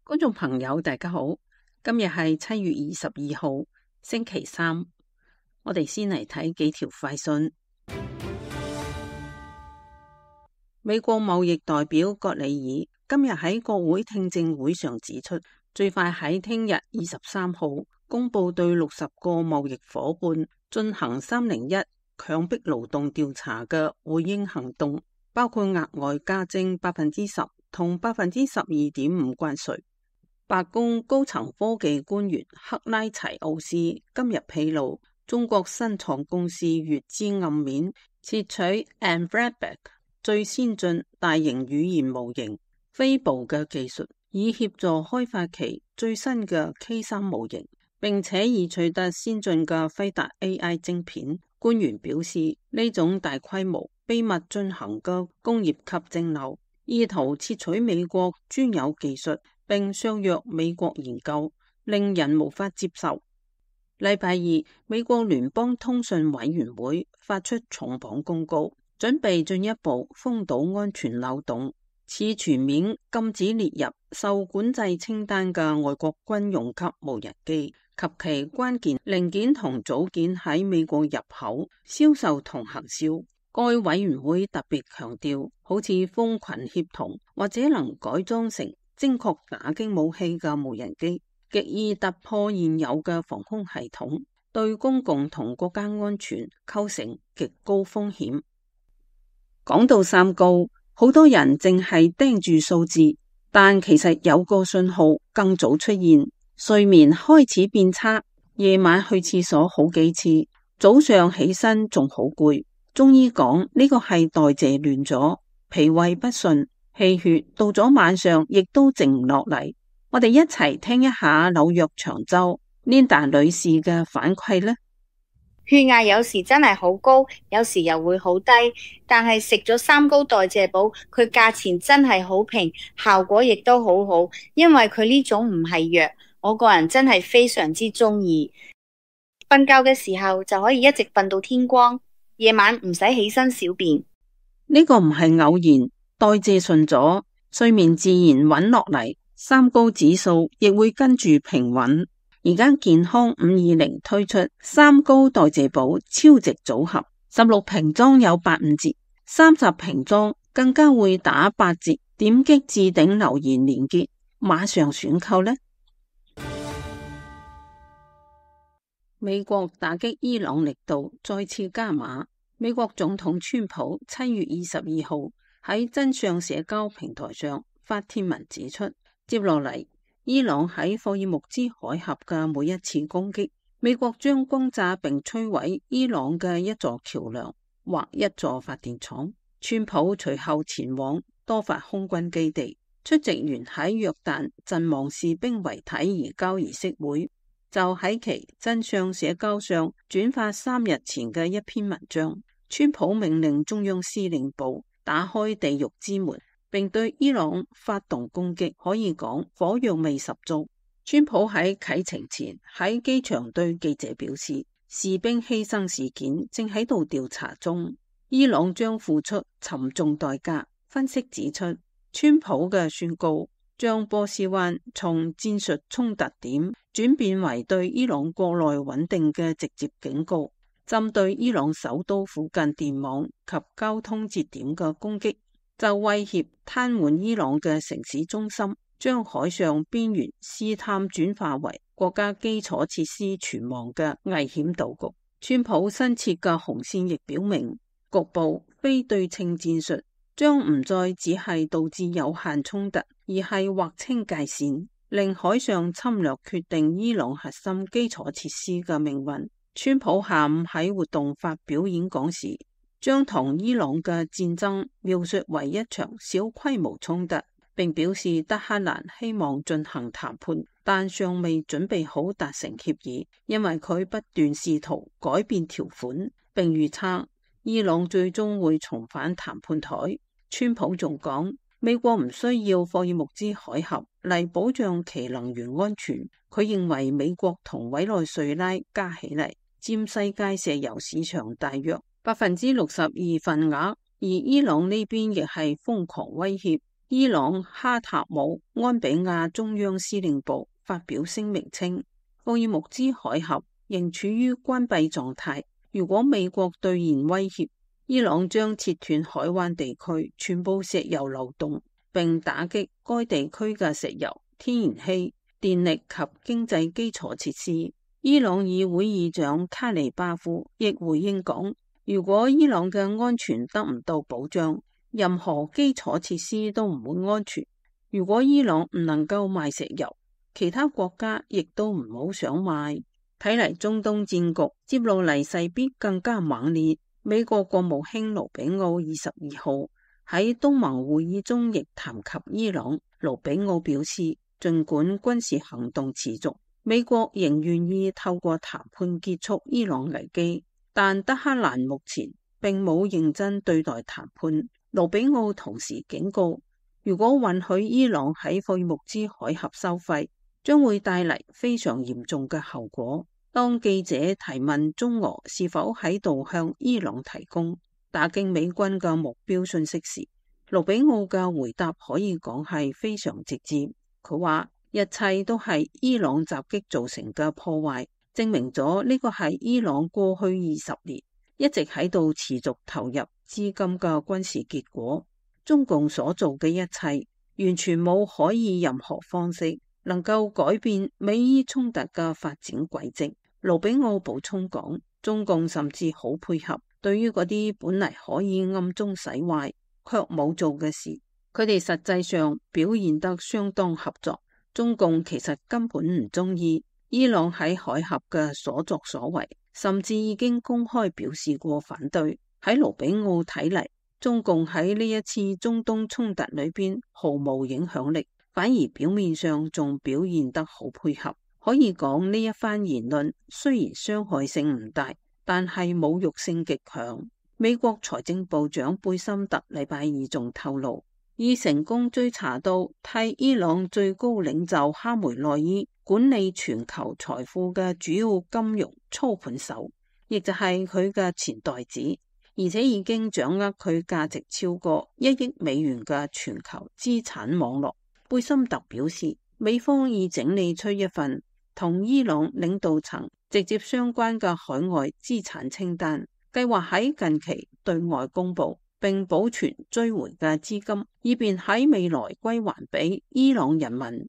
觀眾朋友，大家好，今日係7月22號，星期三。我哋先嚟睇幾條快訊。美國貿易代表葛里爾今日喺國會聽證會上指出，最快喺聽日23號公布對60個貿易夥伴進行301強迫勞動調查嘅回應行動，包括額外加徵10%同12.5%關稅。白宮高層科技官員克拉齊奧斯今日披露，中國新創公司閱知暗面竊取 Anthropic 最先進大型語言模型飛步嘅技術，以協助開發其最新嘅 K3 模型，並且已取得先進嘅輝達 AI 晶片。官員表示，呢種大規模秘密進行嘅工業級蒸餾，意圖竊取美國專有技術並削弱美國研究，令人無法接受。禮拜二，美國聯邦通訊委員會發出重磅公告，準備進一步封堵安全漏洞，似全面禁止列入受管制清單嘅外國軍用級無人機及其關鍵零件同組件喺美國入口、銷售同行銷。該委員會特別強調，好似蜂群協同或者能改裝成精確打擊武器嘅無人機，極易突破現有嘅防空系統，對公共同國家安全構成極高風險。講到三高，好多人淨係盯住數字，但其實有個信號更早出現，睡眠開始變差，夜晚去廁所好幾次，早上起身仲好攰。中醫講呢個係代謝亂咗，脾胃不順，氣血到咗晚上亦都靜唔落嚟。我哋一齊聽一下紐約長洲 Linda 女士嘅反饋呢。血壓有時真係好高，有時又會好低，但係食咗三高代謝寶，佢價錢真係好平，效果亦都好好，因為佢呢種唔係藥，我個人真係非常之中意。瞓覺嘅時候就可以一直瞓到天光，夜晚唔使起身小便。呢個唔係偶然，代謝順咗，睡眠自然穩落嚟，三高指數亦會跟住平穩。而家健康520推出三高代謝寶超值組合，16瓶裝有85折，30瓶裝更加會打8折。點擊置頂留言連結，馬上選購呢。美國打擊伊朗力度再次加碼。美國總統川普7月22號喺真相社交平台上發帖文指出，接落嚟伊朗喺霍爾木茲海峽嘅每一次攻擊，美國將轟炸並摧毀伊朗嘅一座橋樑或一座發電廠。川普隨後前往多發空軍基地，出席完喺約旦陣亡士兵遺體移交儀式會，就喺其真相社交上轉發3日前嘅一篇文章。川普命令中央司令部打開地獄之門，並對伊朗發動攻擊，可以講火藥味十足。川普喺啟程前喺機場對記者表示，士兵犧牲事件正喺度調查中，伊朗將付出沉重代價。分析指出，川普嘅宣告將波斯灣從戰術衝突點轉變為對伊朗國內穩定嘅直接警告。針對伊朗首都附近電網及交通節點嘅攻擊，就威脅癱瘓伊朗嘅城市中心，將海上邊緣試探轉化為國家基礎設施存亡嘅危險島嶼。川普新設嘅紅線亦表明，局部非對稱戰術將唔再只係導致有限衝突，而係劃清界線，令海上侵略決定伊朗核心基礎設施嘅命運。川普下午喺活動發表演講時，將同伊朗嘅戰爭描述為一場小規模衝突，並表示德黑蘭希望進行談判，但尚未準備好達成協議，因為佢不斷試圖改變條款，並預測伊朗最終會重返談判台。川普仲講，美國唔需要霍爾木茲海峽嚟保障其能源安全。佢認為美國同委內瑞拉加起嚟佔世界石油市場大約62%份額，而伊朗呢邊亦係瘋狂威脅，伊朗哈塔姆安比亞中央司令部發表聲明稱，霍爾木茲海峽仍處於關閉狀態，如果美國兌現威脅，伊朗將切斷海灣地區全部石油流動，並打擊該地區嘅石油、天然氣、電力及經濟基礎設施。伊朗議會議長卡尼巴夫亦回應講，如果伊朗嘅安全得唔到保障，任何基礎設施都唔會安全。如果伊朗唔能夠賣石油，其他國家亦都唔好想賣。睇嚟中東戰局接落嚟勢必更加猛烈。美國國務卿盧比奧22號喺東盟會議中亦談及伊朗。盧比奧表示，儘管軍事行動持續，美國仍願意透過談判結束伊朗危機，但德黑蘭目前並冇認真對待談判。盧比奧同時警告，如果允許伊朗喺霍爾木茲海峽收費，將會帶嚟非常嚴重嘅後果。當記者提問中俄是否喺度向伊朗提供打擊美軍嘅目標信息時，盧比奧嘅回答可以講係非常直接。佢話一切都係伊朗襲擊造成嘅破壞，證明咗呢個係伊朗過去20年一直喺度持續投入資金嘅軍事結果。中共所做嘅一切完全冇可以任何方式能夠改變美伊衝突嘅發展軌跡。盧比奧補充講，中共甚至好配合，對於嗰啲本嚟可以暗中使壞卻冇做嘅事，佢哋實際上表現得相當合作。中共其實根本唔中意伊朗喺海峽嘅所作所為，甚至已經公開表示過反對。喺盧比奧睇嚟，中共喺呢一次中東衝突裏邊毫無影響力，反而表面上仲表現得好配合。可以講呢一番言論雖然傷害性唔大，但係侮辱性極強。美國財政部長貝森特禮拜二仲透露，已成功追查到替伊朗最高領袖哈梅內伊管理全球財富嘅主要金融操盤手，亦就係佢嘅前代子，而且已經掌握佢價值超過1億美元嘅全球資產網絡。貝森特表示，美方已整理出一份同伊朗領導層直接相關嘅海外資產清單，計劃喺近期對外公佈，並保存追回嘅資金，以便喺未來歸還俾伊朗人民。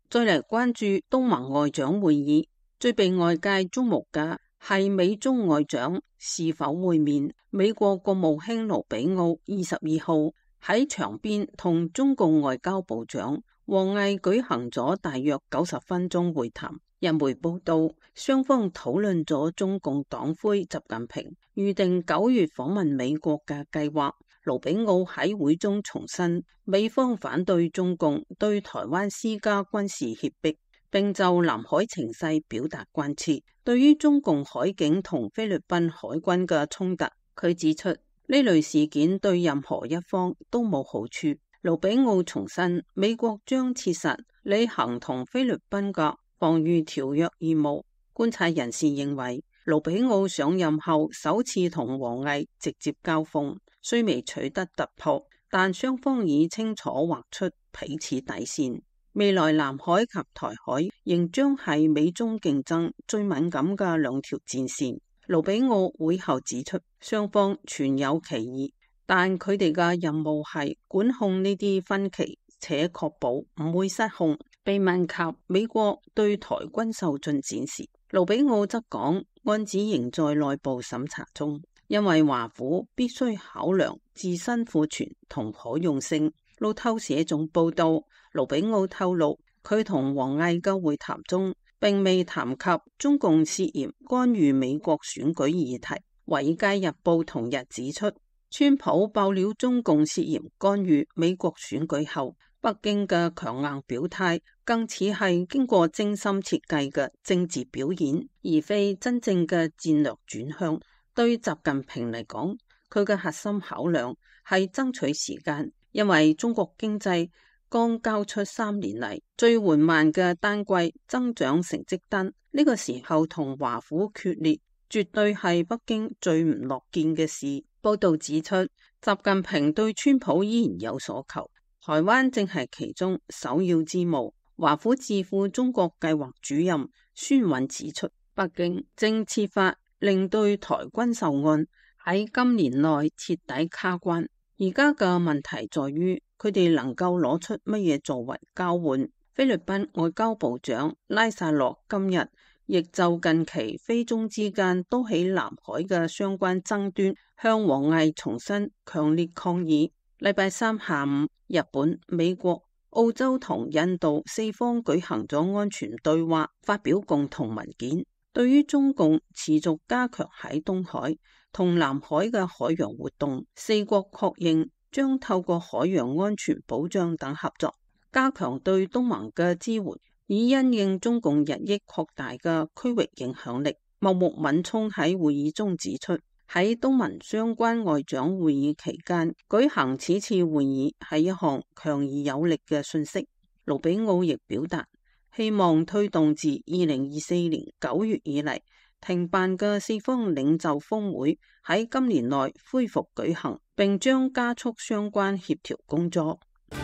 再嚟關注東盟外長會議，最被外界矚目嘅係美中外長是否會面。美國國務卿盧比奧22號喺場邊同中共外交部長王毅舉行咗大約90分鐘會談。日媒報道，雙方討論咗中共黨魁習近平預定9月訪問美國嘅計劃。盧比奧喺會中重申，美方反對中共對台灣施加軍事脅迫，並就南海情勢表達關切。對於中共海警同菲律賓海軍嘅衝突，佢指出呢類事件對任何一方都冇好處。盧比奧重申，美國將切實履行同菲律賓嘅防禦條約義務。觀察人士認為，盧比奧上任後首次同王毅直接交鋒，雖未取得突破，但雙方已清楚劃出彼此底線。未來南海及台海仍將係美中競爭最敏感嘅兩條戰線。盧比奧會後指出，雙方存有歧義，但佢哋嘅任務係管控呢啲分歧，且確保唔會失控。被問及美國對台軍售進展時，盧比奧則講，案子仍在內部審查中，因為華府必須考量自身庫存同可用性。路透社仲報道，盧比奧透露，佢同王毅嘅會談中並未談及中共涉嫌干預美國選舉議題。華爾街日報同日指出，川普爆料中共涉嫌干預美國選舉後，北京嘅強硬表態更似係經過精心設計嘅政治表演，而非真正嘅戰略轉向。對習近平嚟講，佢嘅核心考量係爭取時間，因為中國經濟剛交出3年嚟最緩慢嘅單季增長成績單，呢個時候同華府決裂，絕對係北京最唔樂見嘅事。報道指出，習近平對川普依然有所求，台灣正係其中首要之務。華府智庫中國計劃主任孫韻指出，北京正設法令對台軍售案喺今年內徹底卡關。而家嘅問題在於佢哋能夠攞出乜嘢作為交換。菲律賓外交部長拉薩洛今日亦就近期菲中之間都喺南海嘅相關爭端向王毅重申強烈抗議。禮拜三下午，日本、美國、澳洲同印度四方舉行咗安全對話，發表共同文件。對於中共持續加強喺東海同南海嘅海洋活動，四國確認將透過海洋安全保障等合作，加強對東盟嘅支援，以因應中共日益擴大嘅區域影響力。茂木敏充喺會議中指出，喺東盟相關外長會議期間舉行此次會議係一項強而有力嘅訊息。盧比奧亦表達希望推動自2024年9月以嚟停辦嘅四方領袖峰會喺今年內恢復舉行，並將加速相關協調工作。《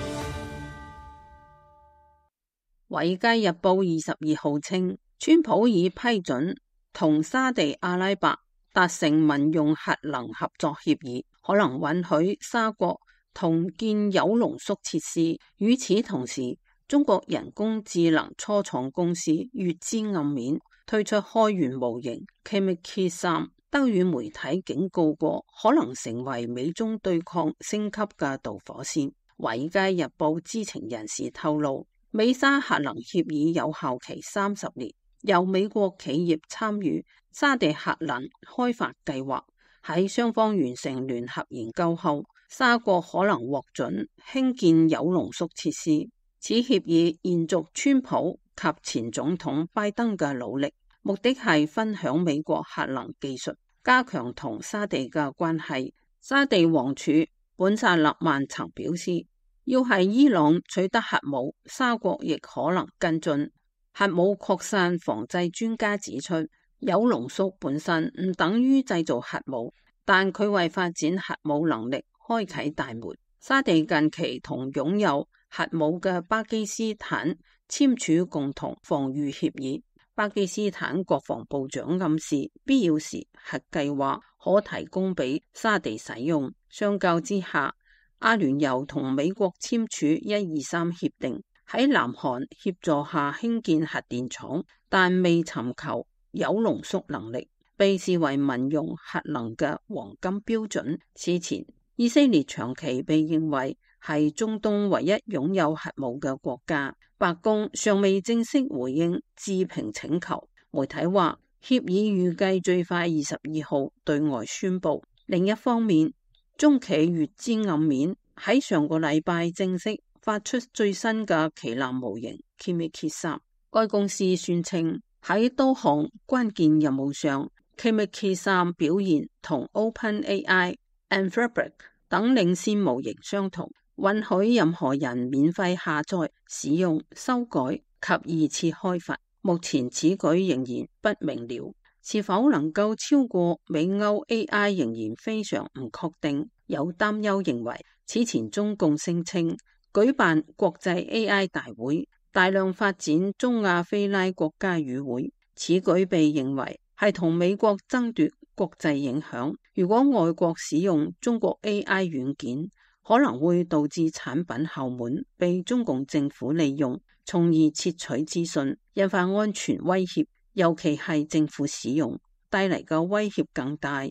華爾街日報》22號稱，川普已批准同沙地阿拉伯達成民用核能合作協議，可能允許沙國同建鈾濃縮設施。與此同時，中國人工智能初創公司月之暗面推出開源模型 Kimi-K3， 德語媒體警告過可能成為美中對抗升級嘅導火線。《華爾街日報》知情人士透露，美沙核能協議有效期30年，由美國企業參與沙地核能開發計劃。喺雙方完成聯合研究後，沙國可能獲准興建鈾濃縮設施。此協議延續川普及前總統拜登嘅努力，目的係分享美國核能技術，加強同沙地嘅關係。沙地王儲本薩勒曼曾表示，要係伊朗取得核武，沙國亦可能跟進。核武擴散防制專家指出，鈾濃縮本身唔等於製造核武，但佢為發展核武能力開啟大門。沙地近期同擁有核武嘅巴基斯坦簽署共同防禦協議。巴基斯坦國防部長暗示，必要時核計劃可提供俾沙地使用。相較之下，阿聯酋同美國簽署123協定，喺南韓協助下興建核電廠，但未尋求鈾濃縮能力，被視為民用核能嘅黃金標準。此前，以色列長期被認為係中東唯一擁有核武嘅國家，白宮尚未正式回應置評請求。媒體話，協議預計最快22號對外宣佈。另一方面，中企月之暗面喺上個禮拜正式發出最新嘅旗艦模型 Kimi-K3。該公司宣稱喺多項關鍵任務上 Kimi-K3 表現同 OpenAI、Anthropic 等領先模型相同，允許任何人免費下載、使用、修改及二次開發。目前此舉仍然不明了，是否能夠超過美歐 AI 仍然非常唔確定。有擔憂認為，此前中共聲稱舉辦國際 AI 大會，大量發展中亞非拉國家與會，此舉被認為係同美國爭奪國際影響。如果外國使用中國 AI 軟件，可能會導致產品後門被中共政府利用，從而竊取資訊，引發安全威脅，尤其係政府使用帶嚟嘅威脅更大。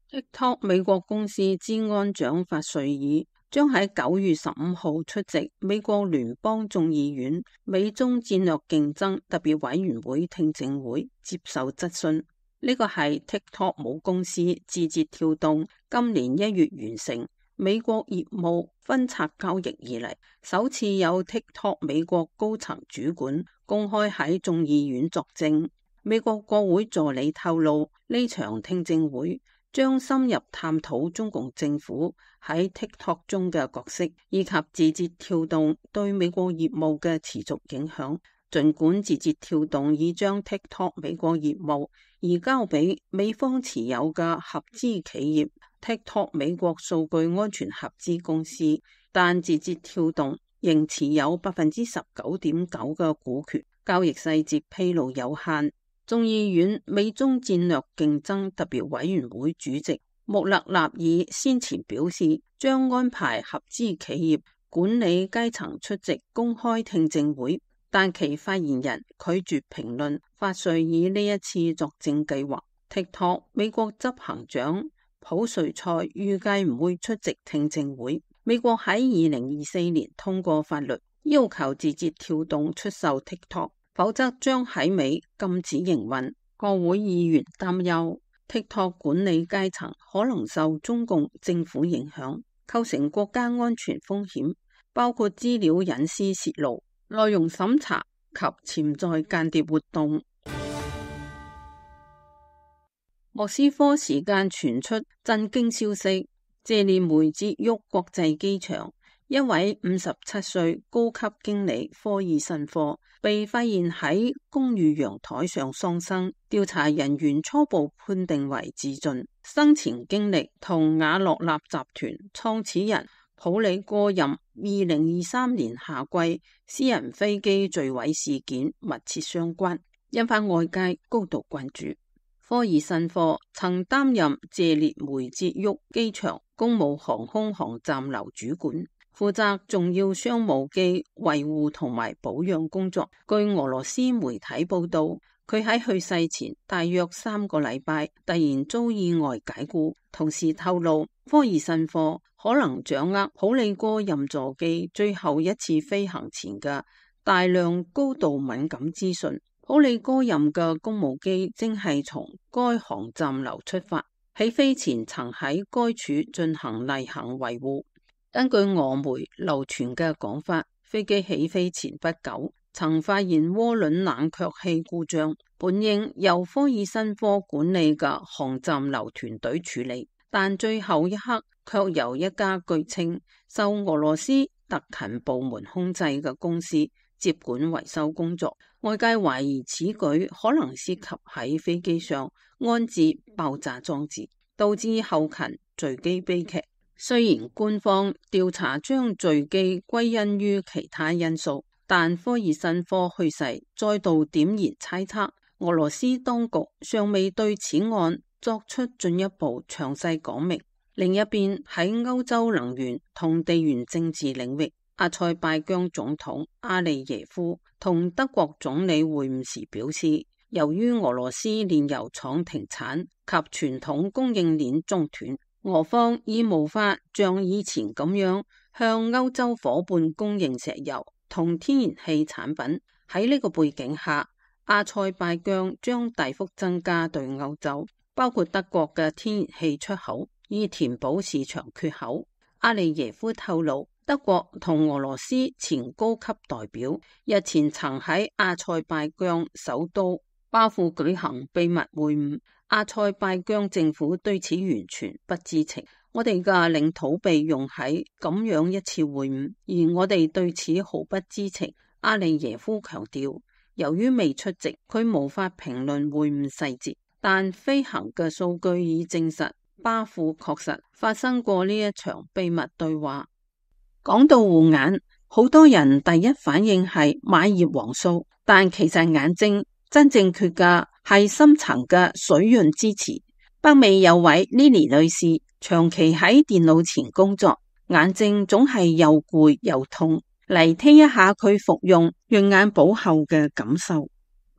TikTok 美國公司資安長法瑞爾將喺9月15號出席美國聯邦眾議院美中戰略競爭特別委員會聽證會接受質詢。呢個係 TikTok 母公司字節跳動今年1月完成美國業務分拆交易以嚟，首次有 TikTok 美國高層主管公開喺眾議院作證。美國國會助理透露，呢場聽證會將深入探討中共政府喺 TikTok 中嘅角色，以及字節跳動對美國業務嘅持續影響。儘管字節跳動已將 TikTok 美國業務移交俾美方持有嘅合資企業 TikTok 美國數據安全合資公司，但字節跳動仍持有19.9%嘅股權，交易細節披露有限。眾議院美中戰略競爭特別委員會主席穆勒納爾先前表示，將安排合資企業管理階層出席公開聽證會，但其發言人拒絕評論法瑞爾呢一次作證計劃。TikTok 美國執行長普瑞塞預計唔會出席聽證會。美國喺2024年通過法律，要求字節跳動出售 TikTok， 否則將喺美禁止營運。國會議員擔憂 TikTok 管理階層可能受中共政府影響，構成國家安全風險，包括資料隱私泄露、內容審查及潛在間諜活動。莫斯科時間傳出震驚消息，謝列梅捷沃國際機場一位57歲高級經理科爾申科被發現喺公寓陽台上喪生，調查人員初步判定為自盡。生前經歷同瓦洛納集團創始人普里戈任2023年夏季私人飛機墜毀事件密切相關，引發外界高度關注。科爾申科曾擔任謝列梅捷沃機場公務航空航站樓主管，負責重要商務機維護同埋保養工作。據俄羅斯媒體報道，佢喺去世前大約3個禮拜突然遭意外解雇，同時透露科爾申科可能掌握普里戈任座機最後一次飛行前嘅大量高度敏感資訊。普里戈任嘅公務機正係從該航站樓出發，起飛前曾喺該處進行例行維護。根據俄媒流傳嘅講法，飛機起飛前不久曾發現渦輪冷卻器故障，本應由科爾申科管理嘅航站樓團隊處理，但最後一刻卻由一家據稱受俄羅斯特勤部門控制嘅公司接管維修工作。外界懷疑此舉可能涉及喺飛機上安置爆炸裝置，導致後勤墜機悲劇。雖然官方調查將墜機歸因於其他因素，但科爾申科去世再度點燃猜測。俄羅斯當局尚未對此案作出進一步詳細講明。另一邊，喺歐洲能源同地緣政治領域，阿塞拜疆總統阿利耶夫同德國總理會晤時表示，由於俄羅斯煉油廠停產及傳統供應鏈中斷，俄方已無法像以前咁樣向歐洲夥伴供應石油同天然氣產品。喺呢個背景下，阿塞拜疆將大幅增加對歐洲，包括德國嘅天然氣出口，以填補市場缺口。阿利耶夫透露，德國同俄羅斯前高級代表日前曾喺阿塞拜疆首都巴庫舉行秘密會晤，阿塞拜疆政府對此完全不知情。我哋嘅領土被用喺咁樣一次會晤，而我哋對此毫不知情。阿利耶夫強調，由於未出席，佢無法評論會晤細節，但飛行嘅數據已證實巴庫確實發生過呢一場秘密對話。講到護眼，好多人第一反應係買葉黃素，但其實眼睛真正缺嘅係深層嘅水潤支持。北美有位 Lily 女士長期喺電腦前工作，眼睛總係又攰又痛。嚟聽一下佢服用潤眼寶後嘅感受。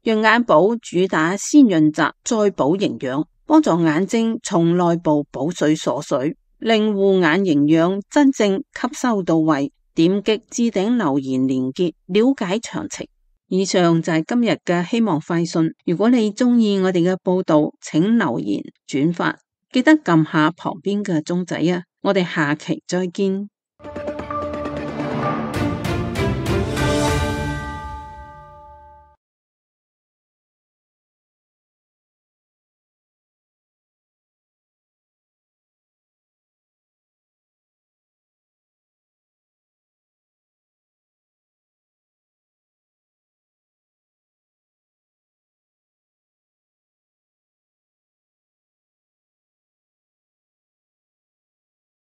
潤眼寶主打先潤澤再補營養，幫助眼睛從內部補水鎖水，令護眼營養真正吸收到位。點擊置頂留言連結了解詳情。以上就係今日嘅希望快訊。如果你中意我哋嘅報道，請留言轉發，記得撳下旁邊嘅鐘仔啊！我哋下期再見。